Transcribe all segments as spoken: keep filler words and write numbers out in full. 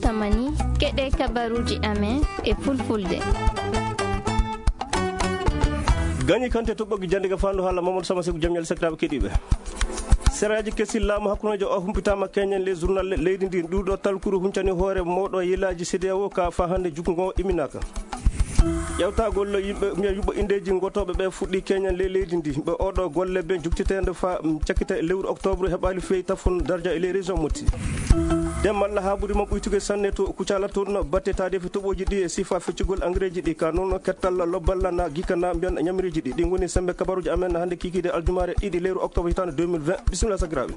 Tamani, keɗee kabaruuji amen e fulfulde. Gañi kante to ɓoggi jannde ga faandu haala Mamadou Sama Seku, jam ñalle sakiraaɓe keɗiiɓe. Seraaji kesi laamu hakkundeejo o humpitaama keñen le journal leydi ndi. Ndu ɗo talkuru huncani hoore mawɗo yelaaji C D A O ka faa hannde jukkungo imminaaka. Ƴeewtagol yimɓe, mbiya yuɓɓo inndeeji ngotooɓe ɓe fuɗɗii keñen ley leydi ndi. Ɓe oo ɗoo golle ɓe njuktiteende faa, mm, cakkita e lewru octobre heɓaali feyi tafon darja e ley région Motti. Dem malla haaɓude ma ɓuytude sanne to Kucala toon, batte taadeefi toɓooji ɗi e sifa feccugol engrais ji ɗi, ka noon kettal lobbal na gikka na mbiyan ñamiriiji ɗi. Ɗi ngoni semmbe kabaruuji amen hannde kiikiiɗe aljumaare ɗiɗi lewru octobre hitaande deux mille vingt. Bisimilla sakiraaɓe.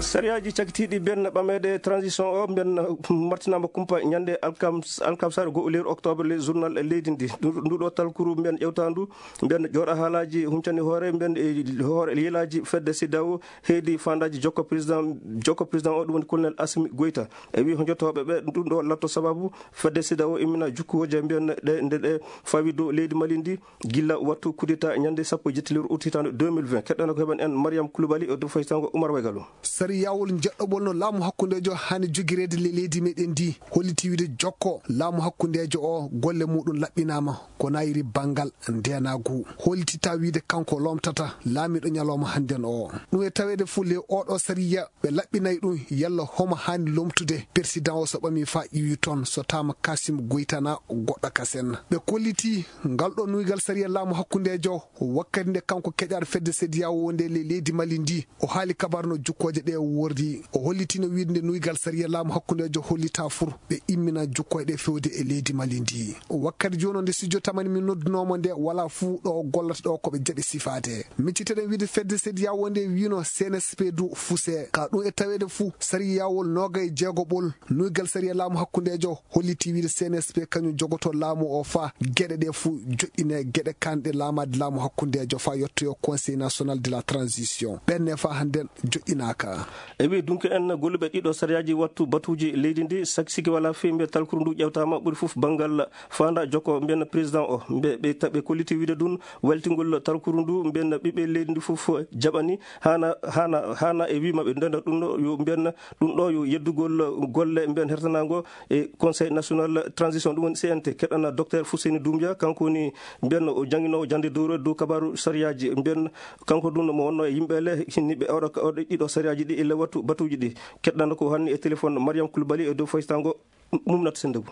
Sariyaaji cakkitiiɗi mbiyen ɓameede transition o mbiyen martinaama kumpa ñande alkam-, alkamsare goo lewru octobre le journal leydi ndi. Ndu-, ndu ɗo talkuru mbiyen ƴewtaandu, mbiyen jooɗa haalaaji huncani hoore, mbiyen e hoore yelaaji fedde C D A O, heedi faandaaji jokko président, jokko président o, ɗum woni colonel Assimi Goïta. E wii honjotooɓe ɓe, ɗum ɗo latto sababu fedde C D A O immina jukkuwooje mbiyen ɗe, nde ɗe fawi dow leydi Mali ndi, gilla wattu kudeta ñande sappo e jetti lewru ut hitaande deux mille vingt. Keɗɗana ko heɓan en Mariam Koulibaly e dow faysango Oumar Waygalo. Sariyaawol njeɗɗoɓol no laamu hakkundeejo haani jogireede le-, leydi meɗen ndi, holliti wiide jokko laamu hakkundeejo o golle muɗum laɓɓinaama ko naayiri banngal ndeenaagu. Hollitita wiide kanko lomtata laamiiɗo ñalawma hannden o. Ɗum e taweede fuu le oɗo sariya ɓe laɓɓinay ɗum yalla homo haani lomtude. Persidan o so ɓamii faa iwi toon, so taama Kasim Goytana goɗɗo kasen. Ɓe kolliti ngal ɗo nuygal sariya laamu hakkundeejo wakkati nde kanko keƴaaɗo fedde sediyawo wonde le-, leydi Mali ndi. O haali kabaru no jukkooje ɗe wordi. O hollitino wiide nde nuygal sariya laamu hakkundeejo hollita fur ɓe immina jukkooje ɗe fewde e leydi Mali ndi. Wakkati jooni o nde studio tamani min noddunoomo nde wala fuu ɗo o gollata ɗo ko ɓe jaɓi sifaade. Micciteɗen wiide fedde sediyawo nde wiino C N S P du fuse. Ka ɗum e taweede fuu, sariyawol noogay jeegoɓol, nuygal sariya laamu hakkundeejo, holliti wiide C N S P kañum jogoto laamu o faa geɗe ɗe fuu joɗɗine, geɗe kanɗe laamaade laamu hakkundeejo faa yettoyo Conseil National de la Transition. Ɓenne faa hannden joɗɗinaaka. E wii dunke en golluɓe ɗiɗo sariyaaji wattu batuuji leydi ndi, sak-, siki walaa fii mbiya talkuru ndu ƴewtaama ɓuri fof banngal faanda jokko mbiyen président o. Mbe-, ɓe ta-, ɓe kolliti wiide ɗum weltingol talkuru ndu, mbiyen ɓiɓɓe leydi ndi fof jaɓani, haana, haana, haana e wii maɓɓe ndenda ɗum ɗo yo mbiyen ɗum ɗo yo yeddugol golle mbiyen hertanaango e Conseil National Transition, ɗum woni C N T. Keɗɗana Docteur Fousseyni Doumbia, kanko woni mbiyen o jannginoowo jannde dowro dow kabaaru sariyaaji, mbiyen kanko ɗum mo wonno e yimɓe le hinniɓe oɗo, oɗo ɗiɗo sariyaaji ɗi e le wattu batuuji ɗi. Keɗɗana ko hanni e téléphone Mariam Koulibaly e dow faysango. Mumnat Sendou.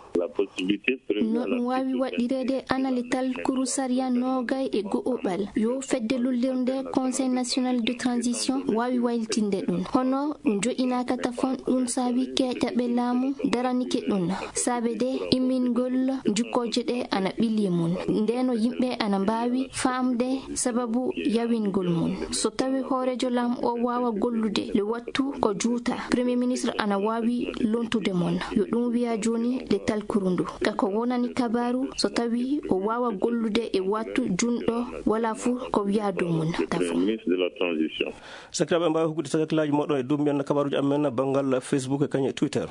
No ɗum waawi waɗɗireede anale talkuru sariya noogay e go'oɓal yo fedde lullirnde Conseil National de Transition waawi waylitinde ɗum. Hono ɗum joƴinaaka tafon, ɗum saabi keeƴaɓe laamu daranike ɗum. Saabe de immingol jukkooje ɗe ana ɓili mum. Ndeno yimɓe ana mbaawi faamde sababu yawingol mum. So tawi hooreejo laamu o waawa gollude le wattu ko juuta, Premier Ministre ana waawi lontude mon. Yo ɗum wiya jooni le talkuru ndu. Ka ko wonani kabaaru, so tawi o waawa gollude e wattu junɗo, wala fuu ko wiya dow mum. Tafo. Sakiraaɓe, en mbaawi hokkude sakkilaaji moɗon e dow mbiyen kabaruuji amen banngal Facebook e kañum e Twitter.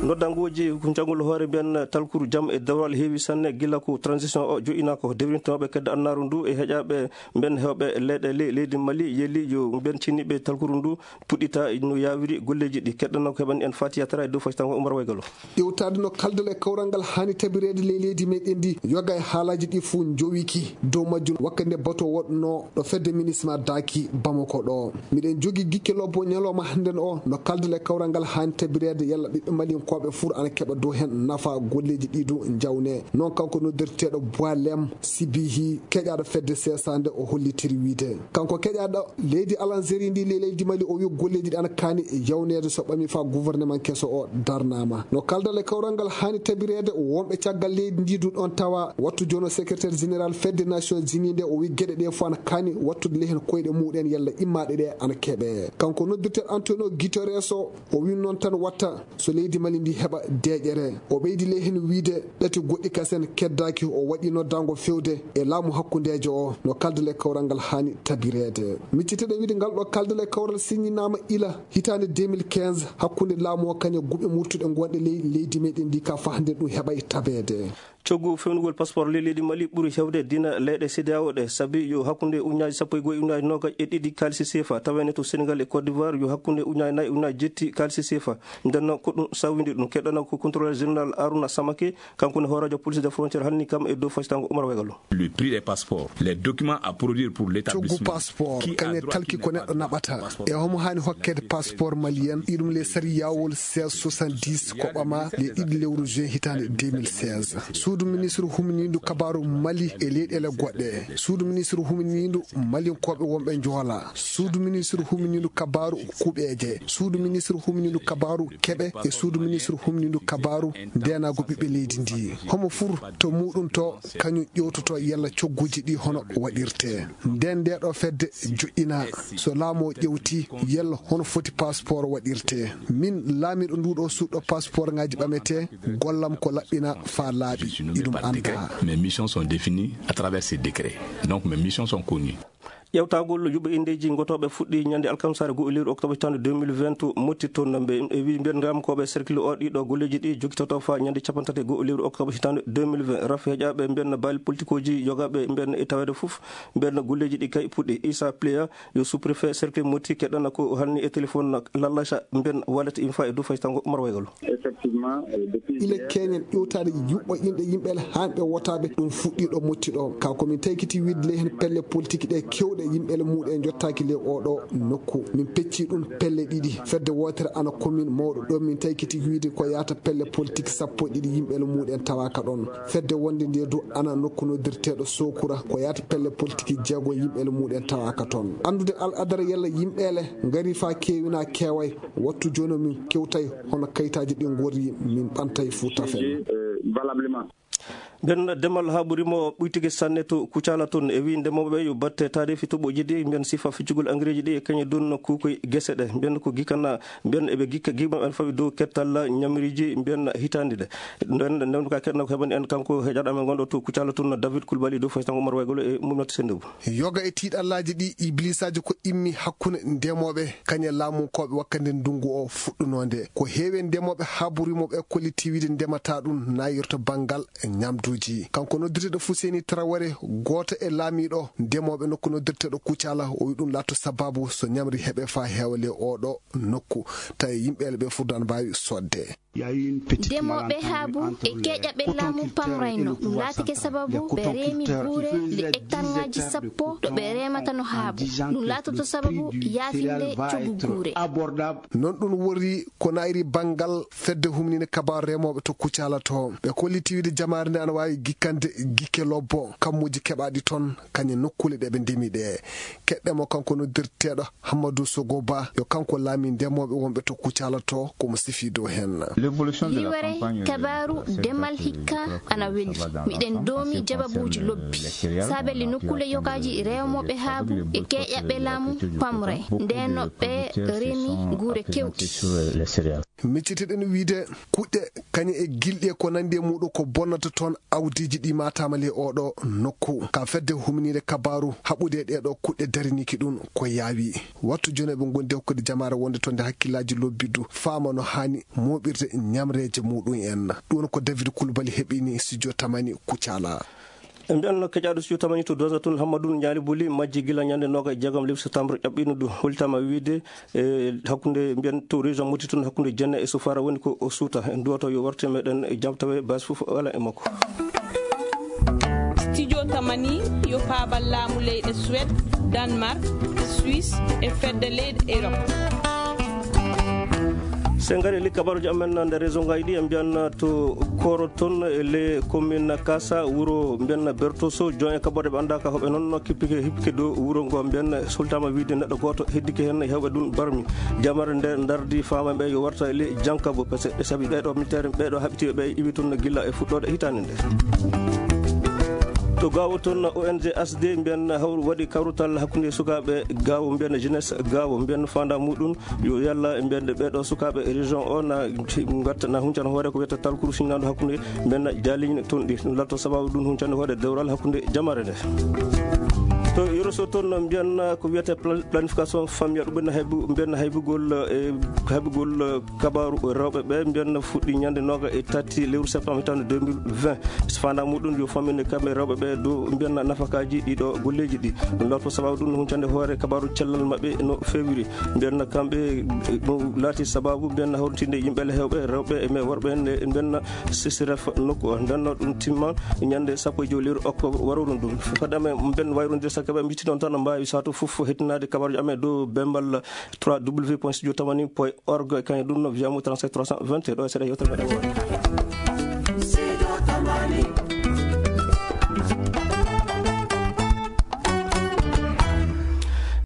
Noddangooji ko njangol hoore mbiyen talkuru jam e dewral heewi sanne gila ko transition o joƴinaaka ko dewrintooɓe kedde annaaru ndu e heƴaaɓe mbiyen heewɓe leyɗe le-, leydi Mali yeli yo mbiyen cinniiɓe talkuru ndu puɗɗita no yaawiri golleeji ɗi. Keɗɗanoo ko heɓani en Fatiya Tara e dow faytango Umar Waygalo. Ƴeewtaade no kaldal e kawral ngal haani tabireede ley leydi meɗen ndi, yoga e haalaaji ɗi fuu njowiki dow majjum wakkati nde bato waɗunoo ɗo fedde minisma daaki Bamako ɗo. Miɗen jogii gikke lobbo ñalawma hannden o no kaldal e kawral ngal haani tabireede yalla ɓiɓɓe malinkooɓe fuu ana keɓa dow heen nafa golleeji ɗi du njawnee. Noon kanko noddirteeɗo Boilem Sibihi, keƴaaɗo fedde seesaande, o hollitiri wiide kanko keƴaaɗo leydi Alanzeri ndi, le-, leydi Mali, o wi golleeji ɗi ana kaani yawneede so ɓami faa gouvernement keso o darnaama. No kaldal e kawral ngal haani tabireede, wonɓe caggal leydi ndi du ɗon tawa. Wattu jooni o secrétaire général fedde Nations Unies nde, o wi geɗe ɗe fof ana kaani wattude ley heen koyɗe muɗen yalla immaaɗe ɗe ana keɓe. Kanko noddirteeɗo Antonio Guterres o, o wi noon tan watta so leydi Mali ndi heɓa deeƴere. O ɓeydi ley heen wiide ɗati goɗɗi kasen keddaaki, o waɗi noddaango fewde e laamu hakkundeejo o no kaldal e kawral ngal haani tabireede. Micciteɗen wiide ngal ɗo kaldal e kawral siññinaama ila hitaande deux mille quinze hakkunde laamu o kañum e guɓe murtuɗe ngonɗe ley leydi meɗen ndi ka faa hannde ɗum heɓay tabeede. Coggu fewnugol passeport ley leydi Mali ɓuri heewde dina leyɗe C E D E A O ɗe, sabi yo hakkunde ujunnaaji sappo e go'o e ujunnaaji noogaas e ɗiɗi kaalisi seefa, tawee ne to Senegal e Côte d'Ivoire yo hakkunde ujunnaaji nayi e ujunnaaji jetti kaalisi seefa. Nden noon ko ɗum sawindi ɗum. Keɗɗana ko contrôleur général Arouna Samake, kanko ne hooreejo police des frontières, halni kam e dow faysango Oumar Wegalo. Le prix des passeports, les documents à produire pour l'établissement. Coggu passeport, kañe talki ko neɗɗo naɓata. E homo haani hokkeede passeport malien, iɗum le sariyaawol seize soixante-dix ko ɓama le ɗiɗi lewru juin hitaande deux mille seize. Suudu ministre humniindu kabaaru Mali e leyɗeele goɗɗe. Suudu ministre humniindu malinkooɓe wonɓe Njoola. Suudu ministre humniindu kabaaru kuɓeeje. Suudu ministre humniindu kabaaru keɓe e suudu ministre humniindu kabaaru ndeenaagu ɓiɓɓe leydi ndi. Homo fur to muuɗum to kañum ƴeewtoto yalla cogguuji ɗi hono waɗirtee. Nden ndee ɗoo fedde joƴƴinaa. So laamu o ƴeewtii yalla hono foti passeport waɗirtee. Min laamiiɗo nduu ɗoo suuɗo passeportŋaaji ɓametee, gollam ko laɓɓina faa laaɓi. Iɗum anndaa. Mes missions sont définies à travers ces décrets. Donc mes missions sont connues. Ƴeewtagol yuɓɓe inndeeji ngotooɓe fuɗɗii ñande alkamsaare goo lewru oktoobar hitaande deux mille vingt motti toon. Mbe e wii mbiyen ramkooɓe cercle o ɗiɗo golleeji ɗi jokkitoto faa ñande cappanɗe tati goo lewru oktoobar hitaande deux mille vingt. Rafi heƴaaɓe mbiyen baali politikooji yogaaɓe mbiyen e taweede fof mbiyen golleeji ɗi kay puɗɗi. Issa Pléa yo sous-préfet cercle motti keɗɗana ko halni e téléphone lallaca mbiyen wallet infa e dow faytango Oumar Waygalo. Ila keñen ƴewtaade yuɓɓo inɗe yimɓe ele haanɓe wotaaɓe ɗum fuɗɗiiɗo motti ɗo. Kaa ko min taykiti wiide ley heen pelle politik ɗe keewɗe yimɓe ele muuɗe njottaaki ley oo ɗoo nokku. Min peccii ɗum pelle ɗiɗi. Fedde wootere ana commune mawɗo ɗo min taykiti wiide ko yaata pelle politik sappo e ɗiɗi yimɓe ele muuɗen tawaaka ɗoon. Fedde wonde ndee du ana nokku noddirteeɗo Sokura ko yaata pelle politik jeego yimɓe ele muuɗen tawaaka toon. Anndude al adara yalla yimɓe ele ngarii faa keewi naa keeway. Wattu jooni min kewtay hono kayitaaji ɗi ngorri min ɓantay fuu tafen. Mbiyen demal haaɓuri mo ɓuytike sanne to Kucala toon e wii ndemooɓe ɓe yo batte taarifi toɓoji ɗi mbiyen sifa ficcugol angareeji ɗi e kañe dun kuukoy gese ɗe mbiyen ko gikkana mbiyen eɓe gikka gimma en fawi dow kettal ñamriiji mbiyen hitaandi ɗe. Nden ndewndo ka keɗno ko heɓani en kanko heƴaɗo amen gonɗo to Kucala toon David Kulbali dow faytango Umar Waygolo e mum notte sennde. Yoga e tiiɗallaaji ɗi ibliisaaji ko immi hakkunde ndemooɓe kañe laamunkooɓe wakkande ndunngu o fuɗɗunoo nde. Ko heewi e ndemooɓe haaboriimo ɓe kolliti wiide ndemata ɗum naayirta banngal ñamduuji. Kanko noddirteeɗo Fuseni Taraware, gooto e laamiiɗo ndemooɓe nokku noddirteeɗo Kucala, o wi ɗum laatto sabaabu so ñamri heɓe faa heewa ley oo ɗoo nokku, tawi yimɓe ɓe fuu daan mbaawi soodde. Demooɓe haabu e keeƴaɓe laamu pamrayno. Ɗum laatike sababu ɓe reemi buure nde hektarŋaaji sappo ɗo ɓe reemata no haabu. Ɗum laatoto sababu yaafinde coggu guure. Non ɗum woni ko naayiri banngal fedde humniinde kabaaru remooɓe to Kucala to. Ɓe kolliti wiide jamaare nde ana waawi gikkande gikke lobbo kammuuji keɓaaɗi toon kañe nokkuule ɗe ɓe ndemi ɗe. Keɗɗe mo kanko noddirteeɗo Hammadu Sogo Ba yo kanko laamii ndemooɓe wonɓe to Kucala to ko mo sifii dow heen. Hiwere kabaaru demal hikka ana weli. Miɗen doomi jababuuji lobbi. Saabelle nokkuule yogaaji rewmooɓe haabu e keeƴaɓe laamu pamre. Ndeenno ɓe remi guure kewɗi. Miccitiɗen wiide kuɗɗe kañe e gilɗi e ko nanndi e muuɗum ko bonnata toon awdiiji ɗi maataama ley oo ɗoo nokku. Ka fedde humniinde kabaaru haɓude e ɗee ɗoo kuɗɗe dariniiki ɗum ko yaawi. Wattu jooni eɓe ngondi e hokkude jamaare wonde toon nde hakkillaaji lobbiddu faama no haani mooɓirde ñamreeje muuɗum en. Ɗum woni ko David Kulbali heɓini studio Tamani Kucala. En mbiyan keƴaaɗo studio Tamani to Dosa tun Hammadun Ñaali Buli majji gila ñande nooga e jeegom lewru septembre ƴaɓɓino du holtama wiide e hakkunde mbiyan to région Moti tun hakkunde Jenne e Sufara woni ko o suuta. En duwato yo warte meɗen e jam tawe base fof ala e makko. Studio Tamani yo paabal laamu leyɗe Suède, Danemark, Suisse e fedde leyɗe Europe. So en ngari e ley kabaruuji amen nder région ngaji ɗi, en mbiyan to Koro toon e ley commune Kasa, wuro mbiyan Bertoso, jon e kaɓorɗe ɓe anndaa ka hoɓe noon kippike hippike dow wuro ngo mbiyan sultama wiide neɗɗo gooto heddike heen hewɓe ɗum barmi. Jamare nde ndardi faama ɓe yo warta e ley Jankabo, parce que sabi ɓee ɗoo militaire ɓee ɗoo haɓitiiɓe ɓe iwi toon gilla e fuɗɗoode hitaande nde. To Gaawo toon, O N G H D mbiyan hawru waɗi kawrutal hakkunde sukaaɓe Gaawo, mbiyan jeunesse Gaawo, mbiyan faandaa muuɗum yo yalla mbiyan ɓee ɗoo sukaaɓe région o na ngatta, na huncana hoore ko wiyata talkuru sinnaandu hakkunde mbiyan jaaliñ toon ɗi. Ɗum latto sababu ɗum huncande hoore dewral hakkunde jamaare nde. Yoro so toon no mbiyanna ko wiyetee pla- planification familiale, ɗum ɓenna haybu mbiyanna haybugol e haybugol kabaaru rewɓe ɓe mbiyanna fuɗɗi ñande nooga e tati lewru septembre hitande deux mille vingt. So faandaa muɗum yo famminde kamɓe rewɓe ɓe dow mbiyanna nafakaaji ɗiɗo golleeji ɗi. Ɗum lorto sababu ɗum no huncande hoore kabaaru cellal maɓɓe no feewiri. Mbiyanna kamɓe ɗum laati sababu mbiyanna hawritinde yimɓe le hewɓe rewɓe e me worɓe ne mbiyanna sisiref nokku o ndenno ɗum timma ñande sappo e jowi lewru oktobre waroru ndu. Fadame mben wayrondir sa kaɓe mbitti noon tan mbaawi sato fof hettinaade kabaruji amen dow bembal trois w point studio tamani point org. Kañum ɗum no wiyamo trente-sept trois cent vingt ɗo e seeɗa yewtere meɗen woote.